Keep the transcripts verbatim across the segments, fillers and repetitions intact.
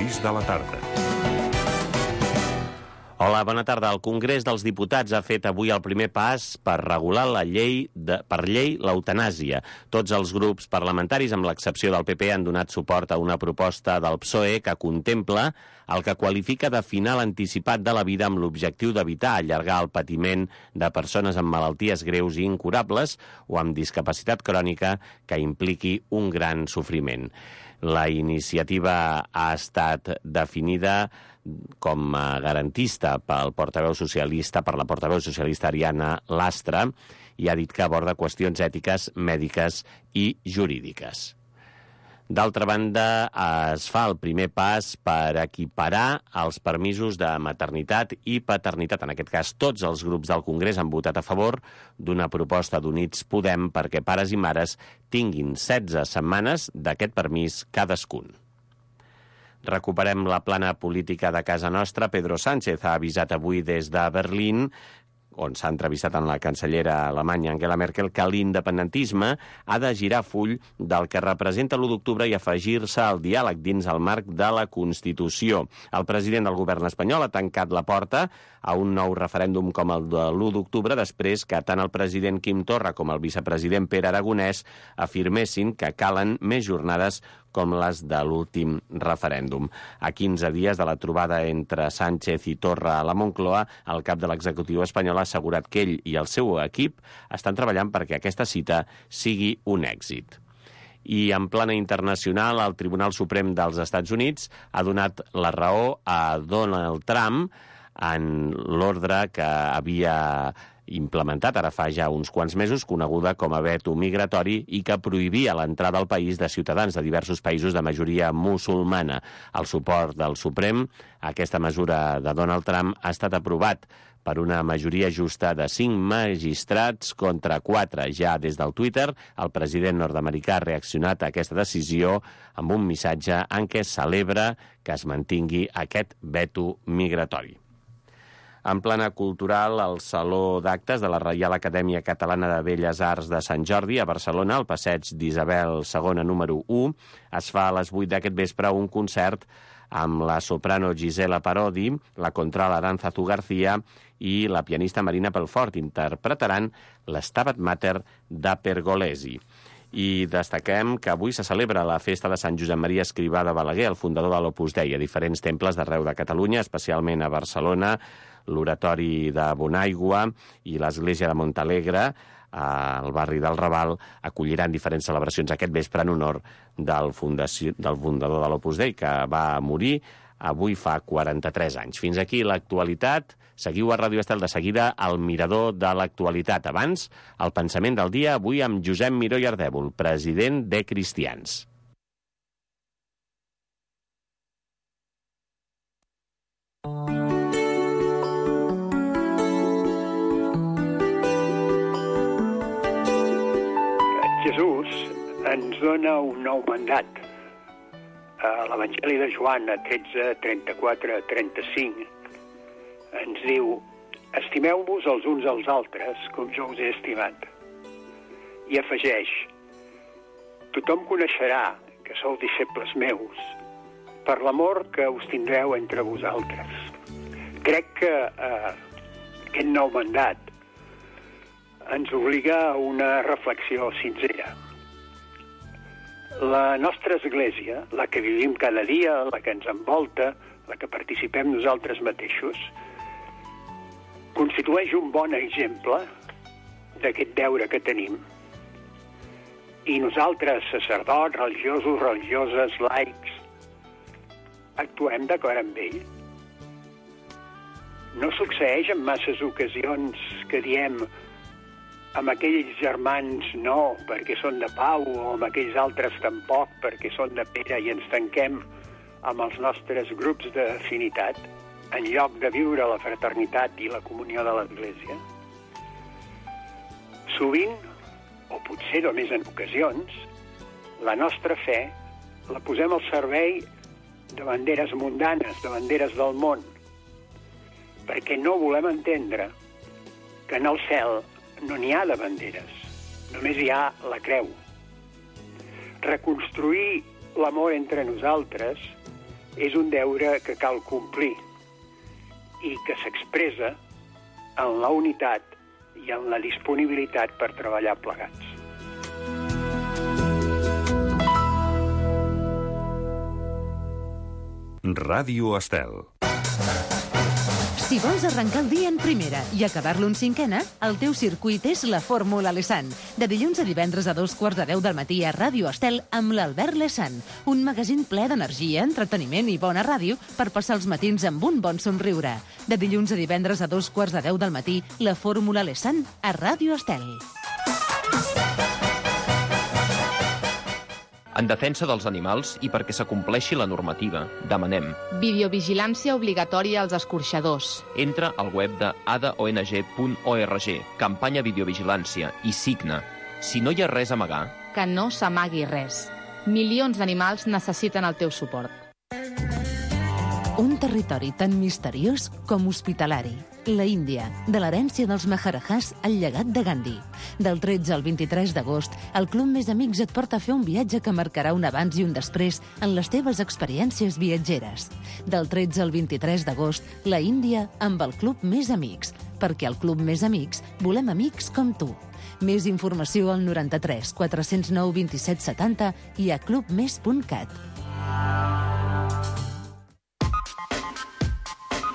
sis de la tarda. Hola, bona tarda. El Congrés dels Diputats ha fet avui el primer pas per regular la llei de, per llei l'eutanàsia. Tots els grups parlamentaris, amb l'excepció del P P, han donat suport a una proposta del P S O E que contempla el que qualifica de final anticipat de la vida amb l'objectiu d'evitar allargar el patiment de persones amb malalties greus i incurables o amb discapacitat crònica que impliqui un gran sofriment. La iniciativa ha estat definida com a garantista pel portaveu socialista, per la portaveu socialista Ariana Lastra, i ha dit que aborda qüestions ètiques, mèdiques i jurídiques. D'altra banda, es fa el primer pas per equiparar els permisos de maternitat i paternitat. En aquest cas, tots els grups del Congrés han votat a favor d'una proposta d'Units Podem perquè pares i mares tinguin setze setmanes d'aquest permís cadascun. Recuperem la plana política de casa nostra. Pedro Sánchez ha avisat avui des de Berlín, on s'ha entrevistat amb la cancellera alemanya Angela Merkel, que l'independentisme ha de girar full del que representa l'u d'octubre i afegir-se al diàleg dins el marc de la Constitució. El president del govern espanyol ha tancat la porta a un nou referèndum com el de l'u d'octubre després que tant el president Quim Torra com el vicepresident Pere Aragonès afirmessin que calen més jornades com les de l'últim referèndum. A quinze dies de la trobada entre Sánchez i Torra a la Moncloa, el cap de l'executiu espanyol ha assegurat que ell i el seu equip estan treballant perquè aquesta cita sigui un èxit. I en plana internacional, el Tribunal Suprem dels Estats Units ha donat la raó a Donald Trump en l'ordre que havia implementat ara fa ja uns quants mesos, coneguda com a veto migratori i que prohibia l'entrada al país de ciutadans de diversos països de majoria musulmana. El suport del Suprem a aquesta mesura de Donald Trump ha estat aprovat per una majoria justa de cinc magistrats contra quatre. Ja des del Twitter, el president nord-americà ha reaccionat a aquesta decisió amb un missatge en què celebra que es mantingui aquest veto migratori. En plana cultural, el Saló d'Actes de la Reial Acadèmia Catalana de Belles Arts de Sant Jordi, a Barcelona, al passeig d'Isabel segona número u, es fa a les vuit d'aquest vespre un concert amb la soprano Gisela Parodi, la contralt Arantzazu García i la pianista Marina Pelfort. Interpretaran l'Stabat Mater de Pergolesi. I destaquem que avui se celebra la festa de Sant Josep Maria Escrivà de Balaguer, el fundador de l'Opus Dei, a diferents temples d'arreu de Catalunya, especialment a Barcelona, l'Oratori de Bonaigua i l'Església de Montalegre, al barri del Raval, acolliran diferents celebracions aquest vespre en honor del, fundació, del fundador de l'Opus Dei, que va morir avui fa quaranta-tres anys. Fins aquí l'actualitat. Seguiu a Ràdio Estel de seguida al Mirador de l'actualitat. Abans, el pensament del dia, avui amb Josep Miró i Ardèvol, president de Cristians. Jesús ens dona un nou mandat. A l'Evangeli de Joan, a tretze, trenta-quatre, trenta-cinc, ens diu: estimeu-vos els uns als altres com jo us he estimat. I afegeix: tothom coneixerà que sou deixebles meus per l'amor que us tindreu entre vosaltres. Crec que eh, aquest nou mandat ens obliga a una reflexió sincera. La nostra església, la que vivim cada dia, la que ens envolta, la que participem nosaltres mateixos, constitueix un bon exemple d'aquest deure que tenim. I nosaltres, sacerdots, religiosos, religioses, laics, actuem d'acord amb ell. No succeeix en masses ocasions que diem amb aquells germans no, perquè són de Pau, o amb aquells altres tampoc, perquè són de Pere, i ens tanquem amb els nostres grups d'afinitat, en lloc de viure la fraternitat i la comunió de l'Església. Sovint, o potser només en ocasions, la nostra fe la posem al servei de banderes mundanes, de banderes del món, perquè no volem entendre que en el cel no n'hi ha de banderes, només hi ha la creu. Reconstruir l'amor entre nosaltres és un deure que cal complir i que s'expressa en la unitat i en la disponibilitat per treballar plegats. Ràdio Estel. Si vols arrencar el dia en primera i acabar-lo en cinquena, el teu circuit és la Fórmula Lesan. De dilluns a divendres a dos quarts de deu del matí a Ràdio Estel amb l'Albert Lesan. Un magazín ple d'energia, entreteniment i bona ràdio per passar els matins amb un bon somriure. De dilluns a divendres a dos quarts de deu del matí, la Fórmula Lesan a Ràdio Estel. En defensa dels animals i perquè s'acompleixi la normativa, demanem videovigilància obligatòria als escorxadors. Entra al web de a d o n g punt org, campanya videovigilància, i signa. Si no hi ha res a amagar... Que no s'amagui res. Milions d'animals necessiten el teu suport. Un territori tan misteriós com hospitalari. La Índia, de l'herència dels Maharajahs al llegat de Gandhi. Del tretze al vint-i-tres d'agost, el Club Més Amics et porta a fer un viatge que marcarà un abans i un després en les teves experiències viatgeres. Del tretze al vint-i-tres d'agost, la Índia amb el Club Més Amics. Perquè al Club Més Amics volem amics com tu. Més informació al noranta-tres quatre-cents nou vint-i-set setanta i a club més punt cat.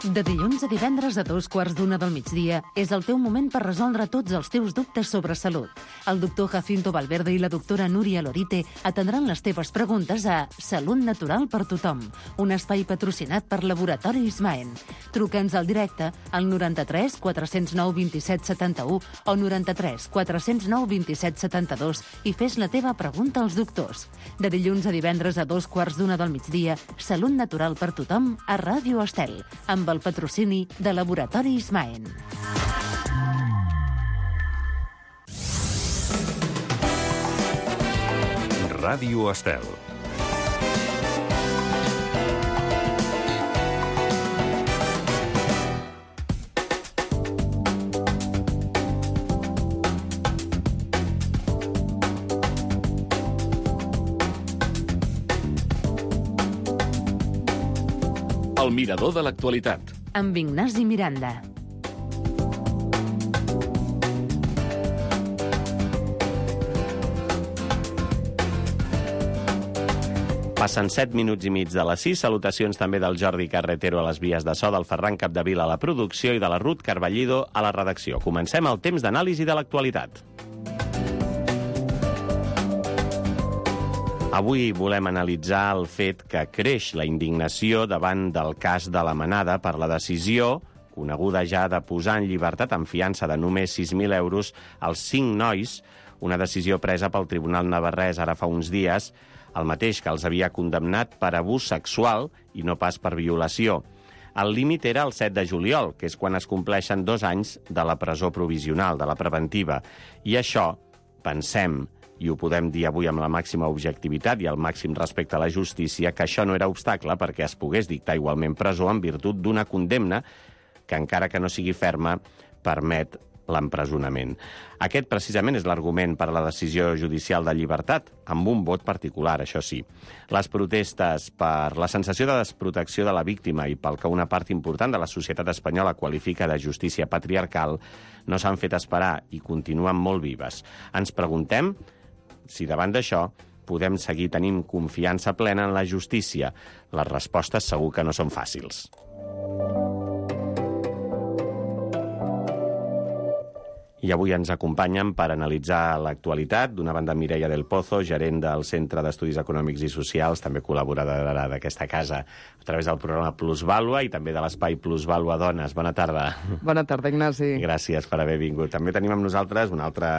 De dilluns a divendres a dos quarts d'una del migdia és el teu moment per resoldre tots els teus dubtes sobre salut. El doctor Jacinto Valverde i la doctora Núria Lorite atendran les teves preguntes a Salut Natural per Tothom, un espai patrocinat per Laboratori Ismaen. Truca'ns al directe al noranta-tres quatre-cents nou vint-i-set setanta-u o noranta-tres quatre-cents nou vint-i-set setanta-dos i fes la teva pregunta als doctors. De dilluns a divendres a dos quarts d'una del migdia, Salut Natural per Tothom a Ràdio Estel, amb el patrocini de Laboratori Ismaen. Ràdio Estel. El mirador de l'actualitat. Amb Ignasi Miranda. Passen set minuts i mig de les sis. Salutacions també del Jordi Carretero a les vies de so, del Ferran Capdevila a la producció i de la Ruth Carballido a la redacció. Comencem el temps d'anàlisi de l'actualitat. Avui volem analitzar el fet que creix la indignació davant del cas de la Manada per la decisió, coneguda ja, de posar en llibertat amb fiança de només sis mil euros als cinc nois, una decisió presa pel Tribunal navarrès ara fa uns dies, el mateix que els havia condemnat per abús sexual i no pas per violació. El límit era el set de juliol, que és quan es compleixen dos anys de la presó provisional, de la preventiva. I això, pensem, i ho podem dir avui amb la màxima objectivitat i el màxim respecte a la justícia, que això no era obstacle perquè es pogués dictar igualment presó en virtut d'una condemna que, encara que no sigui ferma, permet l'empresonament. Aquest, precisament, és l'argument per a la decisió judicial de llibertat, amb un vot particular, això sí. Les protestes per la sensació de desprotecció de la víctima i pel que una part important de la societat espanyola qualifica de justícia patriarcal no s'han fet esperar i continuen molt vives. Ens preguntem si davant d'això podem seguir tenint confiança plena en la justícia. Les respostes segur que no són fàcils. I avui ens acompanyen per analitzar l'actualitat. D'una banda, Mireia del Pozo, gerent del Centre d'Estudis Econòmics i Socials, també col·laboradora d'aquesta casa a través del programa Plusvàlua i també de l'espai Plusvàlua Dones. Bona tarda. Bona tarda, Ignasi. Gràcies per haver vingut. També tenim amb nosaltres un altre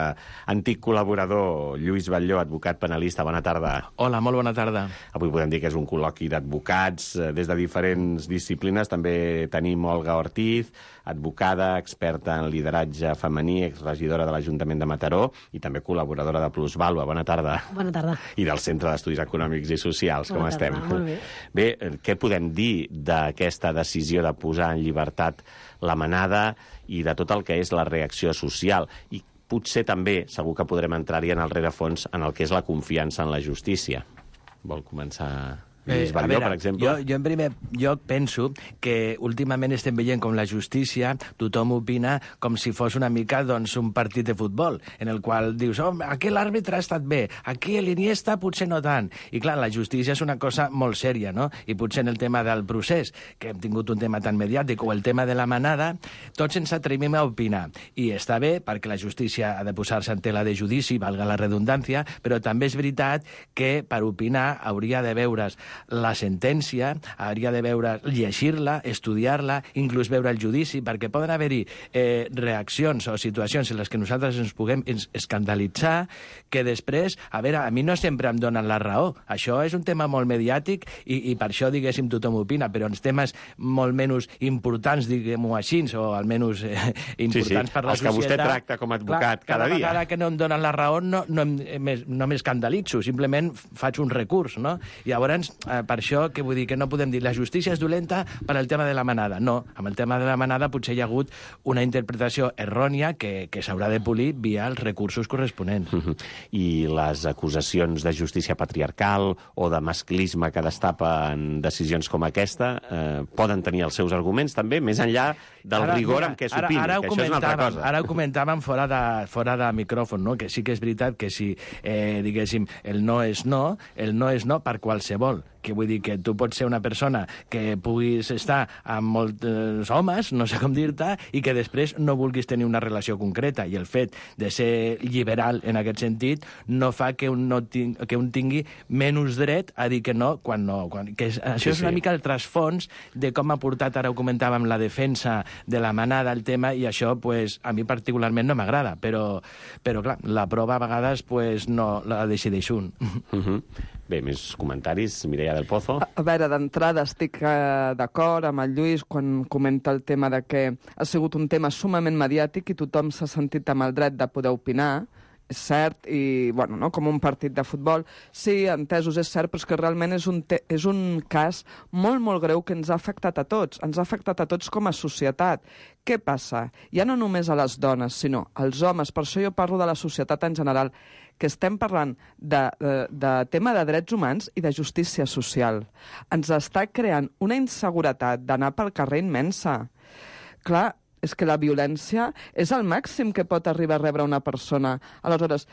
antic col·laborador, Lluís Batlló, advocat penalista. Bona tarda. Hola, molt bona tarda. Avui podem dir que és un col·loqui d'advocats des de diferents disciplines. També tenim Olga Ortiz, advocada, experta en lideratge femení, exregidora de l'Ajuntament de Mataró i també col·laboradora de Plusvàlua. Bona tarda. Bona tarda. I del Centre d'Estudis Econòmics i Socials. Bona Com tarda, estem? molt bé. Bé, què podem dir d'aquesta decisió de posar en llibertat la Manada i de tot el que és la reacció social? I potser també, segur que podrem entrar-hi en el rerefons, en el que és la confiança en la justícia. Vol començar Lluís Batlló, per exemple. Jo, jo, en primer lloc penso que últimament estem veient com la justícia, tothom opina com si fos una mica doncs, un partit de futbol, en el qual dius, oh, aquí l'àrbitre ha estat bé, aquí l'Iniesta potser no tant. I clar, la justícia és una cosa molt sèria, no? I potser en el tema del procés, que hem tingut un tema tan mediàtic, o el tema de la manada, tots ens atrevim a opinar. I està bé, perquè la justícia ha de posar-se en tela de judici, valga la redundància, però també és veritat que per opinar hauria de veure's la sentència, hauria de veure, llegir-la, estudiar-la, inclús veure el judici, perquè poden haver-hi eh, reaccions o situacions en les que nosaltres ens puguem escandalitzar, que després, a veure, a mi no sempre em donen la raó. Això és un tema molt mediàtic i, i per això, diguéssim, tothom opina, però en temes molt menys importants, diguem-ho així, o almenys eh, importants sí, sí. per la Els que societat... vostè tracta com a advocat clar, cada dia. Cada vegada que no em donen la raó no, no, no m'escandalitzo, simplement faig un recurs, no? I llavors, eh, per això, que vull dir que no podem dir la justícia és dolenta per al tema de la manada. No, amb el tema de la manada potser hi ha hagut una interpretació errònia que, que s'haurà de polir via els recursos corresponents. Uh -huh. I les acusacions de justícia patriarcal o de masclisme que destapen decisions com aquesta eh, poden tenir els seus arguments també, més enllà del ara, rigor amb què s'opini, que això és una altra cosa. Ara ho comentàvem fora de, fora de micròfon, no? Que sí que és veritat que si, eh, diguéssim, el no és no, el no és no per qualsevol. Que vull dir que tu pots ser una persona que puguis estar amb molts homes, no sé com dir-te, i que després no vulguis tenir una relació concreta. I el fet de ser liberal en aquest sentit no fa que un, no ting que un tingui menys dret a dir que no quan no. Quan... Que és, això sí, és una sí. mica el trasfons de com ha portat, ara ho comentàvem, la defensa de la manada, el tema, i això pues, a mi particularment no m'agrada, però, però clar, la prova a vegades pues, no la decideix un. Uh -huh. Bé, més comentaris, Mireia del Pozo. A, a veure, d'entrada estic eh, d'acord amb el Lluís quan comenta el tema de que ha sigut un tema sumament mediàtic i tothom s'ha sentit amb el dret de poder opinar, és cert, i, bueno, no, com un partit de futbol. Sí, entesos, és cert, però és que realment és un, te és un cas molt, molt greu que ens ha afectat a tots. Ens ha afectat a tots com a societat. Què passa? Ja no només a les dones, sinó als homes. Per això jo parlo de la societat en general, que estem parlant de, de, de tema de drets humans i de justícia social. Ens està creant una inseguretat d'anar pel carrer immensa. Clar, és que la violència és el màxim que pot arribar a rebre una persona. Aleshores,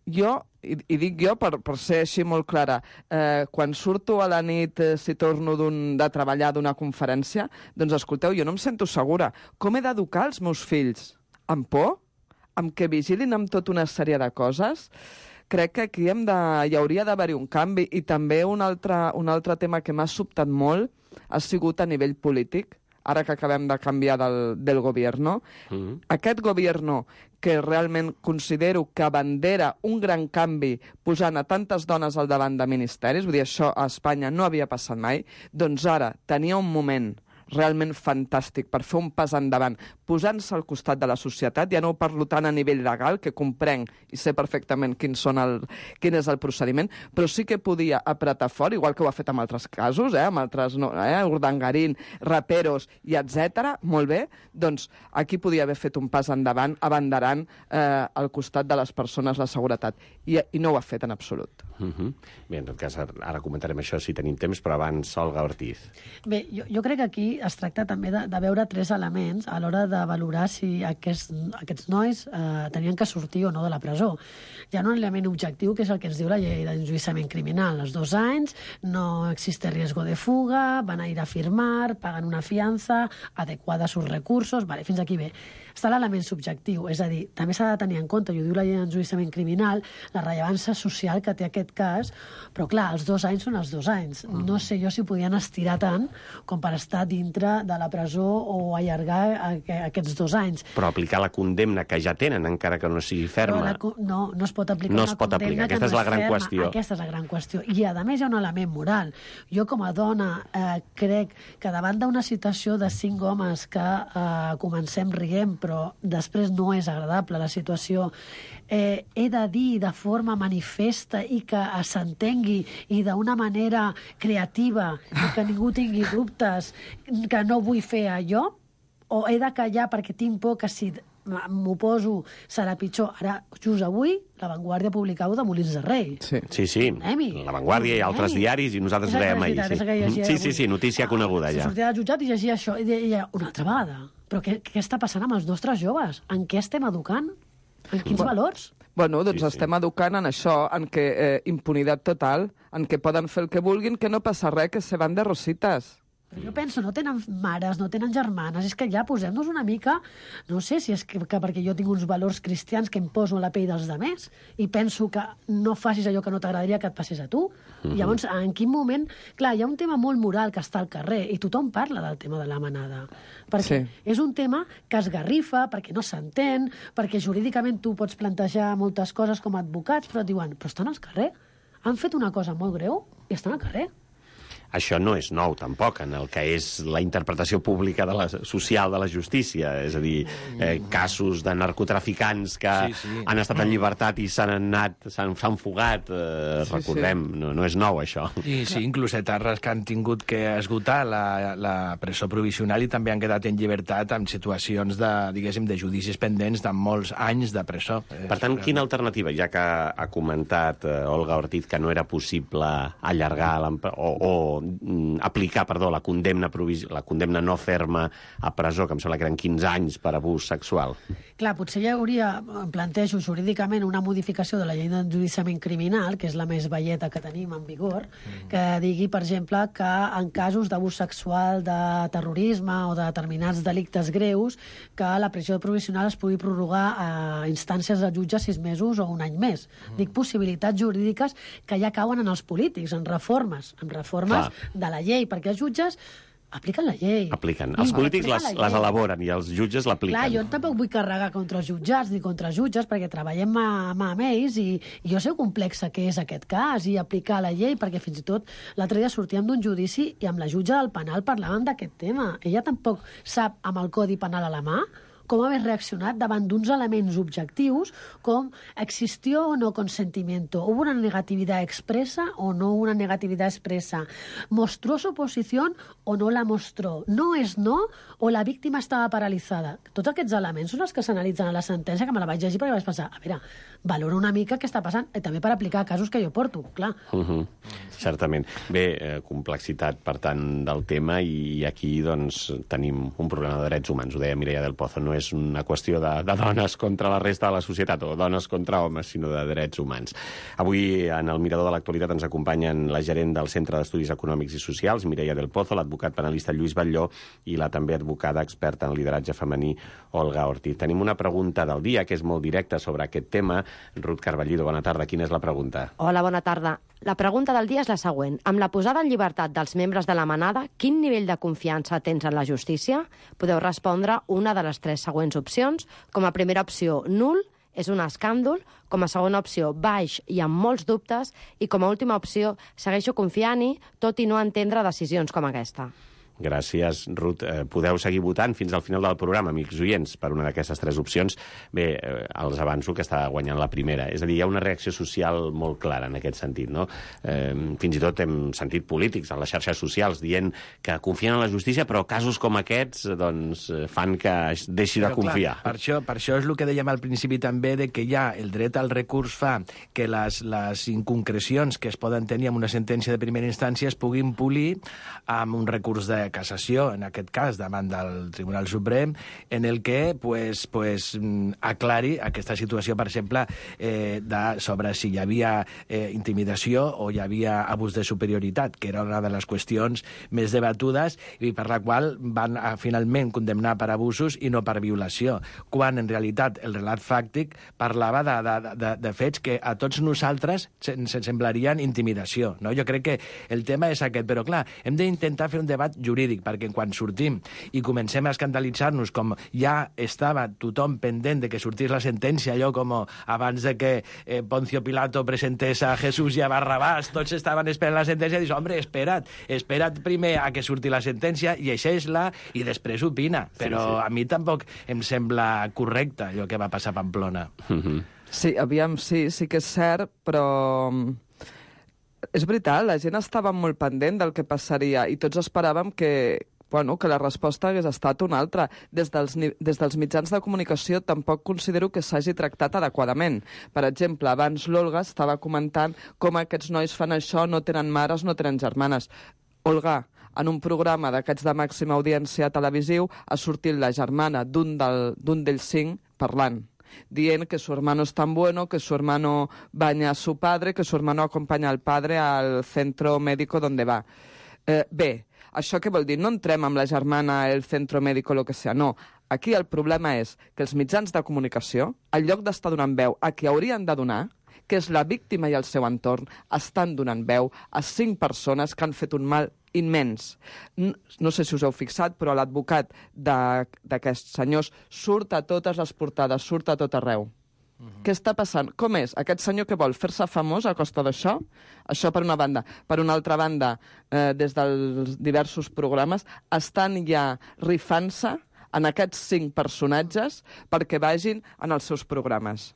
jo, i, i dic jo per, per ser així molt clara, eh, quan surto a la nit, eh, si torno de treballar d'una conferència, doncs escolteu, jo no em sento segura. Com he d'educar els meus fills? Amb por? Amb que vigilin amb tota una sèrie de coses? Crec que aquí hem de, hi hauria d'haver-hi un canvi. I també un altre, un altre tema que m'ha sobtat molt ha sigut a nivell polític, ara que acabem de canviar del, del govern. Mm-hmm. Aquest govern que realment considero que abandera un gran canvi posant a tantes dones al davant de ministeris, vull dir, això a Espanya no havia passat mai, doncs ara tenia un moment realment fantàstic per fer un pas endavant, posant-se al costat de la societat. Ja no ho parlo tant a nivell legal, que comprenc i sé perfectament quin, són el, quin és el procediment, però sí que podia apretar fort, igual que ho ha fet en altres casos, eh, amb altres, no, eh, Urdangarín, raperos i etcètera. Molt bé, doncs aquí podia haver fet un pas endavant, abanderant eh, al costat de les persones la seguretat. I, i no ho ha fet en absolut. Uh -huh. Bé, en tot cas, ara comentarem això si tenim temps, però abans, Olga Ortiz. Bé, jo, jo crec que aquí es tracta també de, de veure tres elements a l'hora de valorar si aquests, aquests nois eh, tenien que sortir o no de la presó. Hi ha un element objectiu que és el que ens diu la llei d'enjudiciament criminal. Als dos anys no existe riesgo de fuga, van a ir a firmar, pagan una fianza adequada a sus recursos, vale, fins aquí bé. Està l'element subjectiu, és a dir, també s'ha de tenir en compte, i ho diu la llei d'enjudiciament criminal, la rellevància social que té aquest cas, però clar, els dos anys són els dos anys. No sé jo si podien estirar tant com per estar dintre de la presó o allargar aquests dos anys. Però aplicar la condemna que ja tenen, encara que no sigui ferma... La, no, no es pot aplicar no una es pot condemna aplicar. que Aquesta no és la és gran ferma. qüestió. Aquesta és la gran qüestió. I, a més, hi ha un element moral. Jo, com a dona, eh, crec que davant d'una situació de cinc homes que eh, comencem rient, però després no és agradable la situació, eh, he de dir de forma manifesta i que s'entengui i d'una manera creativa i que ningú tingui dubtes que no vull fer allò, o he de callar perquè tinc por que si m'oposo, serà pitjor. Ara, just avui, La Vanguardia publicava de Molins de Rei. Sí, sí, sí. La Vanguardia i altres diaris, i nosaltres veiem ahir. Sí, sí, sí, notícia coneguda ja. Sortia del jutjat i llegia això, i deia, una altra vegada. Però què, què està passant amb els nostres joves? En què estem educant? En quins bueno, valors? Bueno, doncs sí, estem sí. educant en això, en què eh, impunitat total, en què poden fer el que vulguin, que no passa res, que se van de rositas. Però jo penso, no tenen mares, no tenen germanes, és que ja posem-nos una mica, no sé si és que, que perquè jo tinc uns valors cristians que em poso a la pell dels demés i penso que no facis allò que no t'agradaria que et passés a tu. Mm-hmm. Llavors, en quin moment... Clar, hi ha un tema molt moral que està al carrer i tothom parla del tema de la manada. Perquè sí. és un tema que es garrifa, perquè no s'entén, perquè jurídicament tu pots plantejar moltes coses com a advocats, però et diuen, però estan al carrer, han fet una cosa molt greu i estan al carrer. Això no és nou, tampoc, en el que és la interpretació pública de la, social de la justícia. És a dir, eh, casos de narcotraficants que sí, sí. han estat en llibertat i s'han anat, s'han fugat, eh, sí, recordem, sí. No, no és nou, això. I sí, inclús etarres que han tingut que esgotar la, la presó provisional i també han quedat en llibertat amb situacions de, diguéssim, de judicis pendents de molts anys de presó. Per tant, quina alternativa, ja que ha comentat eh, Olga Ortiz que no era possible allargar o, o aplicar, perdó, la condemna, la condemna no ferma a presó, que em sembla que eren quinze anys per abús sexual. Clar, potser hi hauria, em plantejo jurídicament, una modificació de la llei d'enjudiciament criminal, que és la més velleta que tenim en vigor, mm. que digui, per exemple, que en casos d'abús sexual, de terrorisme o de determinats delictes greus, que la presó provisional es pugui prorrogar a instàncies de jutge sis mesos o un any més. Mm. Dic possibilitats jurídiques que ja cauen en els polítics, en reformes, en reformes Clar. de la llei, perquè els jutges apliquen la llei. Apliquen. Els I polítics les, les elaboren i els jutges l'apliquen. Clar, jo tampoc vull carregar contra els jutjats ni contra els jutges perquè treballem mà, mà amb ells i, i jo sé ho complexa que és aquest cas i aplicar la llei, perquè fins i tot l'altre dia sortíem d'un judici i amb la jutge del penal parlàvem d'aquest tema. Ella tampoc sap amb el codi penal a la mà com haver reaccionat davant d'uns elements objectius com existió o no consentimiento, hubo una negatividad expresa o no una negatividad expresa, mostró su posición o no la mostró, no és no o la víctima estava paralitzada. Tots aquests elements són els que s'analitzen a la sentència, que me la vaig llegir perquè vaig pensar, a veure, valora una mica què està passant, i també per aplicar casos que jo porto, clar. Uh-huh. Certament. Bé, eh, complexitat, per tant, del tema, i aquí, doncs, tenim un problema de drets humans, ho deia Mireia del Pozo, no és una qüestió de, de dones contra la resta de la societat o dones contra homes, sinó de drets humans. Avui, en el Mirador de l'Actualitat, ens acompanyen la gerent del Centre d'Estudis Econòmics i Socials, Mireia del Pozo, l'advocat penalista Lluís Batlló i la també advocada experta en lideratge femení, Olga Ortiz. Tenim una pregunta del dia que és molt directa sobre aquest tema. Ruth Carballido, bona tarda. Quina és la pregunta? Hola, bona tarda. La pregunta del dia és la següent. Amb la posada en llibertat dels membres de la manada, quin nivell de confiança tens en la justícia? Podeu respondre una de les tres següents opcions. Com a primera opció, nul, és un escàndol. Com a segona opció, baix i amb molts dubtes. I com a última opció, segueixo confiant-hi, tot i no entendre decisions com aquesta. Gràcies, Ruth. Eh, podeu seguir votant fins al final del programa, amics oients, per una d'aquestes tres opcions. Bé, eh, els avanço que està guanyant la primera. És a dir, hi ha una reacció social molt clara en aquest sentit, no? Eh, fins i tot hem sentit polítics a les xarxes socials dient que confien en la justícia, però casos com aquests doncs, fan que es deixi però, de confiar. Clar, per, això, per això és el que dèiem al principi també, de que ja el dret al recurs fa que les, les inconcrecions que es poden tenir amb una sentència de primera instància es puguin polir amb un recurs de cassació, en aquest cas, davant del Tribunal Suprem, en el que pues, pues, aclari aquesta situació, per exemple, eh, de, sobre si hi havia eh, intimidació o hi havia abús de superioritat, que era una de les qüestions més debatudes i per la qual van a, finalment condemnar per abusos i no per violació, quan en realitat el relat fàctic parlava de, de, de, de fets que a tots nosaltres se'n se semblarien intimidació. No? Jo crec que el tema és aquest, però clar, hem d'intentar fer un debat jurídic jurídic, perquè quan sortim i comencem a escandalitzar-nos com ja estava tothom pendent de que sortís la sentència, allò com abans de que eh, Poncio Pilato presentés a Jesús i a Barrabàs, tots estaven esperant la sentència i dius, home, espera't, espera't primer a que surti la sentència, llegeix-la i després opina. Però sí, sí. A mi tampoc em sembla correcte allò que va passar a Pamplona. Mm-hmm. Sí, aviam, sí, sí que és cert, però... És veritat, la gent estava molt pendent del que passaria i tots esperàvem que, bueno, que la resposta hagués estat una altra. Des dels, des dels mitjans de comunicació tampoc considero que s'hagi tractat adequadament. Per exemple, abans l'Olga estava comentant com aquests nois fan això, no tenen mares, no tenen germanes. Olga, en un programa d'aquests de màxima audiència televisiu ha sortit la germana d'un del, d'un d'ells cinc parlant, dient que su hermano es tan bueno, que su hermano baña a su padre, que su hermano acompaña al padre al centro médico donde va. Eh, bé, això què vol dir? No entrem amb la germana, el centro médico, lo que sea, no. Aquí el problema és que els mitjans de comunicació, en lloc d'estar donant veu a qui haurien de donar, que és la víctima i el seu entorn, estan donant veu a cinc persones que han fet un mal immens. No sé si us heu fixat, però l'advocat d'aquests senyors surt a totes les portades, surt a tot arreu. Què està passant? Com és? Aquest senyor que vol fer-se famós a costa d'això? Això per una banda. Per una altra banda, eh, des dels diversos programes, estan ja rifant-se en aquests cinc personatges perquè vagin en els seus programes.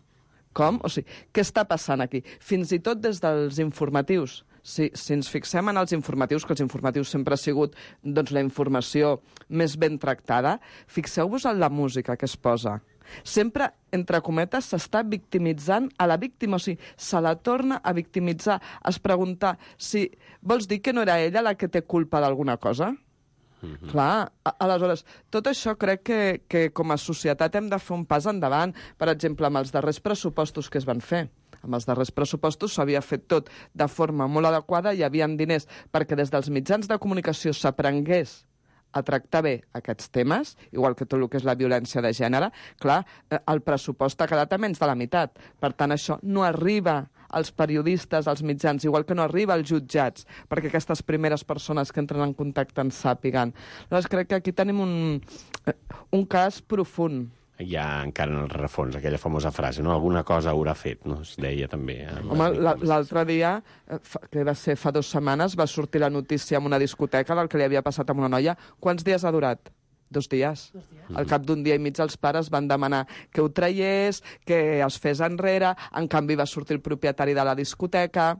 Com? O sigui, què està passant aquí? Fins i tot des dels informatius. Si, si ens fixem en els informatius, que els informatius sempre ha sigut doncs, la informació més ben tractada, fixeu-vos en la música que es posa. Sempre, entre cometes, s'està victimitzant a la víctima, o sigui, se la torna a victimitzar. Es preguntar si vols dir que no era ella la que té culpa d'alguna cosa? Mm-hmm. Clar, a, aleshores, tot això crec que, que com a societat hem de fer un pas endavant, per exemple, amb els darrers pressupostos que es van fer. Amb els darrers pressupostos s'havia fet tot de forma molt adequada, hi havia diners perquè des dels mitjans de comunicació s'aprengués a tractar bé aquests temes, igual que tot el que és la violència de gènere. Clar, el pressupost ha quedat a menys de la meitat. Per tant, això no arriba als periodistes, als mitjans, igual que no arriba als jutjats, perquè aquestes primeres persones que entren en contacte en sàpiguen. Llavors, crec que aquí tenim un, un cas profund. Hi ha encara en el rerefons aquella famosa frase, no? Alguna cosa haurà fet, no? Es deia també. Home, l'altre dia, que va ser fa dues setmanes, va sortir la notícia en una discoteca del que li havia passat a una noia. Quants dies ha durat? Dos dies. Dos dies. Al cap d'un dia i mig els pares van demanar que ho traiés, que es fes enrere, en canvi va sortir el propietari de la discoteca.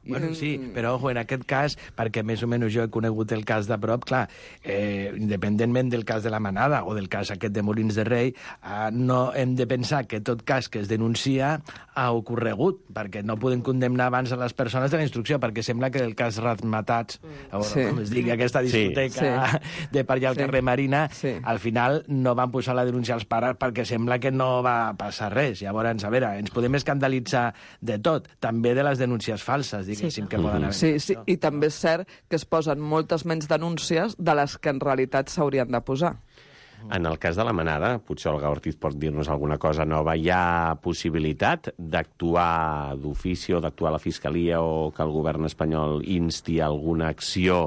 Bueno, sí, però ojo, en aquest cas, perquè més o menys jo he conegut el cas de prop, clar, eh, independentment del cas de la Manada o del cas aquest de Molins de Rei, eh, no hem de pensar que tot cas que es denuncia ha ocorregut, perquè no podem condemnar abans a les persones de la instrucció, perquè sembla que el cas Razmatats, mm. sí. com es digui, aquesta discoteca sí. de per allà al sí. carrer Marina, sí. al final no van posar la denúncia als pares perquè sembla que no va passar res. Llavors, a veure, ens podem escandalitzar de tot, també de les denúncies falses, diguéssim, sí. que poden haver. Sí, sí, i també és cert que es posen moltes menys denúncies de les que en realitat s'haurien de posar. En el cas de la Manada, potser Olga Ortiz pot dir-nos alguna cosa nova. Hi ha possibilitat d'actuar d'ofici o d'actuar a la Fiscalia o que el govern espanyol insti alguna acció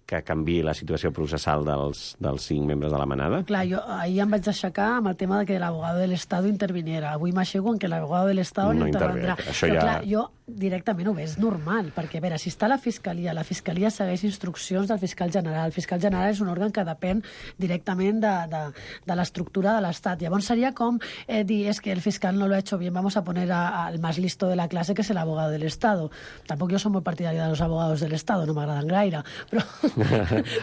que canviï la situació processal dels, dels cinc membres de la Manada? Clar, jo ahir em vaig aixecar amb el tema de que l'abogado de l'Estado interviniera. Avui m'aixeco en que l'abogado de l'Estado no intervendrà. Això Però ja... clar, jo directament ho veig normal, perquè a veure, si està la Fiscalia, la Fiscalia segueix instruccions del fiscal general. El fiscal general és un òrgan que depèn directament de, de, de l'estructura de l'Estat. Llavors seria com eh, dir, és que el fiscal no lo ha hecho bien, vamos a poner al más listo de la clase, que es el abogado del Estado. Tampoc jo soy muy partidaria de los abogados del Estado, no m'agraden gaire, però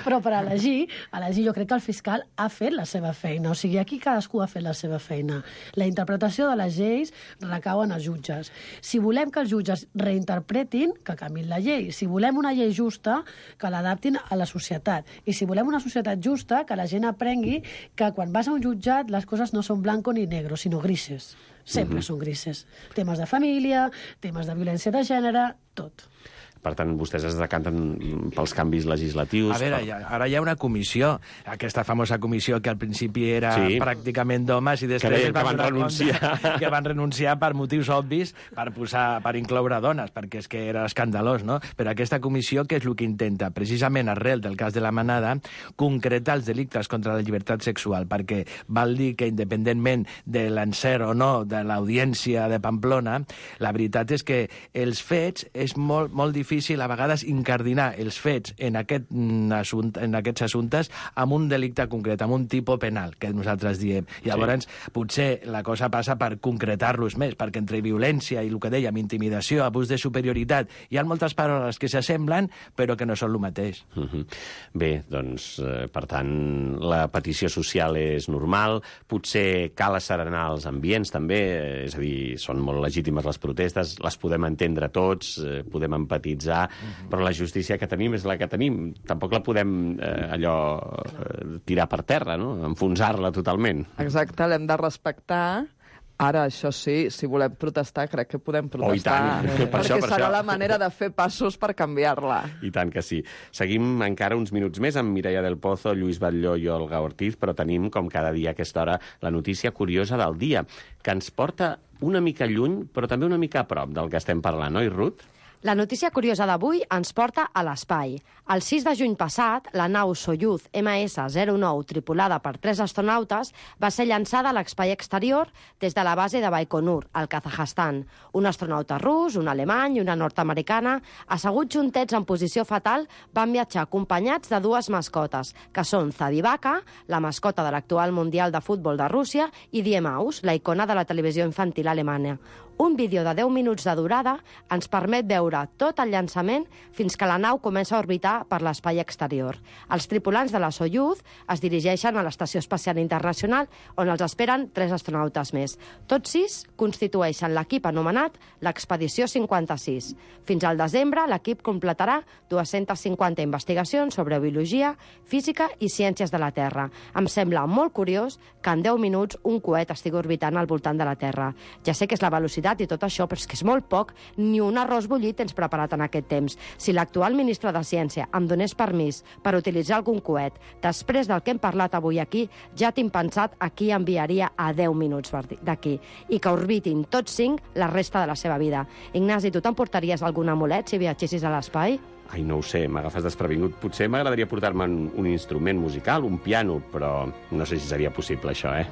però per elegir, elegir jo crec que el fiscal ha fet la seva feina, o sigui, aquí cadascú ha fet la seva feina. La interpretació de les lleis recau en els jutges. Si volem que els jutges reinterpretin, que canviïn la llei. Si volem una llei justa, que l'adaptin a la societat. I si volem una societat justa, que la gent aprengui que quan vas a un jutjat les coses no són blanco ni negro, sinó grises. Sempre uh-huh. són grises. Temes de família, temes de violència de gènere, tot. Per tant, vostès es decanten pels canvis legislatius... A veure, per... ja, ara hi ha una comissió, aquesta famosa comissió que al principi era sí. pràcticament d'homes i després que, que van renunciar. Que van renunciar per motius obvis, per posar, per incloure dones, perquè és que era escandalós, no? Però aquesta comissió, què és el que intenta? Precisament arrel del cas de la Manada, concretar els delictes contra la llibertat sexual, perquè val dir que independentment de l'encert o no de l'audiència de Pamplona, la veritat és que els fets és molt, molt difícil difícil a vegades incardinar els fets en, aquest, assumpte, en aquests assumptes amb un delicte concret, amb un tipus penal, que nosaltres diem. Llavors, sí. potser la cosa passa per concretar-los més, perquè entre violència i el que dèiem, intimidació, abús de superioritat, hi ha moltes paraules que s'assemblen, però que no són el mateix. Uh-huh. Bé, doncs, eh, per tant, la petició social és normal, potser cal asserenar els ambients, també, eh, és a dir, són molt legítimes les protestes, les podem entendre tots, eh, podem empatitzar, uh-huh. però la justícia que tenim és la que tenim. Tampoc la podem eh, allò eh, tirar per terra, no? Enfonsar-la totalment. Exacte, l'hem de respectar. Ara, això sí, si volem protestar, crec que podem protestar. Oh, i tant. Eh, per perquè això, per serà això. la manera de fer passos per canviar-la. I tant que sí. Seguim encara uns minuts més amb Mireia del Pozo, Lluís Batlló i Olga Ortiz, però tenim, com cada dia a aquesta hora, la notícia curiosa del dia, que ens porta una mica lluny, però també una mica a prop del que estem parlant, oi, Ruth? La notícia curiosa d'avui ens porta a l'espai. El sis de juny passat, la nau Soyuz ema essa zero nou, tripulada per tres astronautes, va ser llançada a l'espai exterior des de la base de Baikonur, al Kazakhstan. Un astronauta rus, un alemany i una nord-americana, asseguts juntets en posició fetal, van viatjar acompanyats de dues mascotes, que són Zadivaka, la mascota de l'actual Mundial de Futbol de Rússia, i Die Maus, la icona de la televisió infantil alemanya. Un vídeo de deu minuts de durada ens permet veure tot el llançament fins que la nau comença a orbitar per l'espai exterior. Els tripulants de la Soyuz es dirigeixen a l'Estació Espacial Internacional, on els esperen tres astronautes més. Tots sis constitueixen l'equip anomenat l'Expedició cinquanta-sis. Fins al desembre, l'equip completarà dues-centes cinquanta investigacions sobre biologia, física i ciències de la Terra. Em sembla molt curiós que en deu minuts un coet estigui orbitant al voltant de la Terra. Ja sé que és la velocitat i tot això, però és que és molt poc, ni un arròs bullit tens preparat en aquest temps. Si l'actual ministre de Ciència em donés permís per utilitzar algun coet, després del que hem parlat avui aquí, ja tinc pensat a qui enviaria a deu minuts d'aquí, i que orbitin tots cinc la resta de la seva vida. Ignasi, tu t'emportaries algun amulet si viatgessis a l'espai? Ai, no ho sé, m'agafes desprevingut. Potser m'agradaria portar-me un instrument musical, un piano, però no sé si seria possible, això, eh?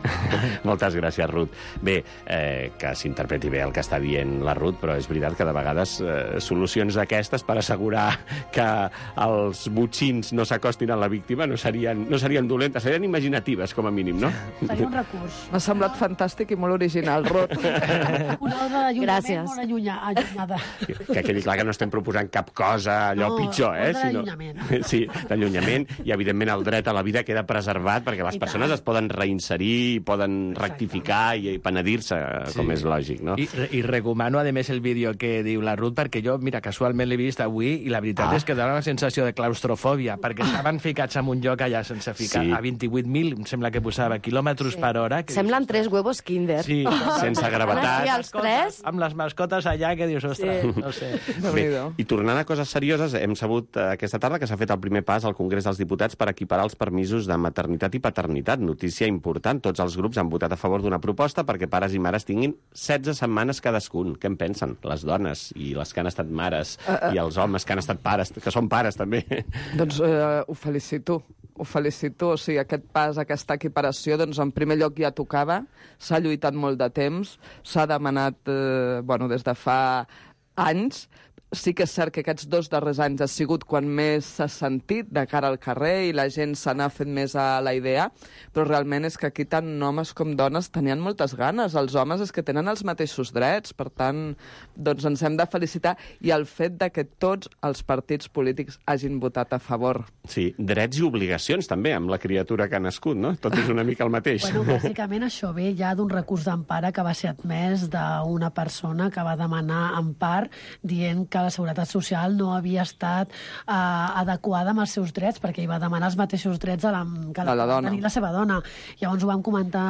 Moltes gràcies, Ruth. Bé, eh, que s'interpreti bé el que està dient la Ruth, però és veritat que de vegades eh, solucions d'aquestes per assegurar que els botxins no s'acostin a la víctima no serien, no serien dolentes, serien imaginatives, com a mínim, no? Seria un recurs. M'ha semblat fantàstic i molt original, Ruth. Una ordre d'allunyament molt allunya, allunyada. Que quedi clar que no estem proposant cap cosa allò no, pitjor, eh? Sinó... Sí, d'allunyament, i evidentment el dret a la vida queda preservat perquè les I persones tant. es poden reinserir, poden Exacte. rectificar i, i penedir-se, sí. com és lògic, no? I, I recomano, a més, el vídeo que diu la Ruth, perquè jo, mira, casualment l'he vist avui i la veritat ah. és que dona una sensació de claustrofòbia, perquè estaven ficats en un lloc allà sense ficar, sí. a vint-i-vuit mil, em sembla que posava, quilòmetres sí. per hora. Que Semblen dius, tres huevos Kinder. Sí, sense gravetat. Els tres? Amb les mascotes allà, que dius, ostres, sí. no sé. Bé, i tornant a coses serioses, hem sabut eh, aquesta tarda que s'ha fet el primer pas al Congrés dels Diputats per equiparar els permisos de maternitat i paternitat. Notícia important. Tots els grups han votat a favor d'una proposta perquè pares i mares tinguin setze setmanes cadascun. Què en pensen? Les dones i les que han estat mares uh, uh. i els homes que han estat pares, que són pares també. Doncs uh, ho felicito. Ho felicito. O sigui, aquest pas, aquesta equiparació, doncs en primer lloc ja tocava. S'ha lluitat molt de temps. S'ha demanat, eh, bueno, des de fa anys. Sí que és cert que aquests dos darrers anys ha sigut quan més s'ha sentit de cara al carrer i la gent se n'ha fet més a la idea, però realment és que aquí tant homes com dones tenien moltes ganes. Els homes és que tenen els mateixos drets, per tant, doncs ens hem de felicitar, i el fet de que tots els partits polítics hagin votat a favor. Sí, drets i obligacions també, amb la criatura que ha nascut, no? Tot és una mica el mateix. Bueno, bàsicament això ve ja d'un recurs d'empara que va ser admès d'una persona que va demanar empar dient que la Seguretat Social no havia estat eh, adequada amb els seus drets, perquè hi va demanar els mateixos drets a la, que la, la dona. tenir la seva dona. Llavors ho vam comentar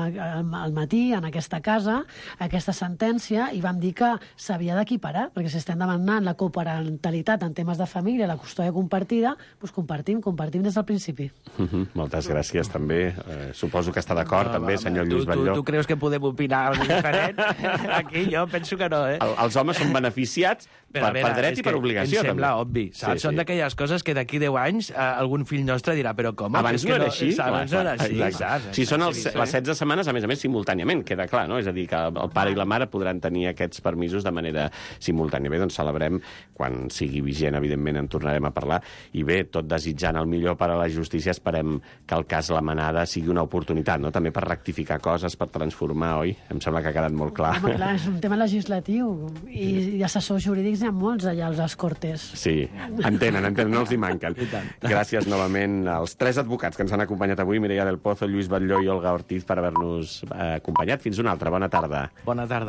al matí en aquesta casa, aquesta sentència, i vam dir que s'havia d'equiparar, perquè si estem demanant la coparentalitat en temes de família, la custòdia compartida, doncs compartim, compartim des del principi. Uh -huh. Moltes gràcies també. Eh, suposo que està d'acord no, també, va, senyor Lluís tu, Batlló. Tu, tu creus que podem opinar alguna diferent? Aquí jo penso que no, eh? El, els homes són beneficiats, Però, per, veure, per dret i per obligació, em sembla també. obvi. Saps? Sí, Són sí. d'aquelles coses que d'aquí deu anys eh, algun fill nostre dirà, però com? Abans És no que era així? Abans no era així, saps? Si són els, Sí, sí. les setze setmanes, a més a més, simultàniament, queda clar, no? És a dir, que el pare i la mare podran tenir aquests permisos de manera simultània. Bé, doncs celebrem, quan sigui vigent, evidentment, en tornarem a parlar, i bé, tot desitjant el millor per a la justícia, esperem que el cas La Manada sigui una oportunitat, no? També per rectificar coses, per transformar, oi? Em sembla que ha quedat molt clar. Home, clar, és un tema legislatiu i, i assessors jurídics n'hi ha molts allà als les Cortes. Sí, entenen, entenen, no els hi manquen. Gràcies novament als tres advocats que ens han acompanyat avui, Mireia del Pozo, Lluís Batlló i Olga Ortiz, per haver-nos eh, acompanyat. Fins una altra. Bona tarda. Bona tarda.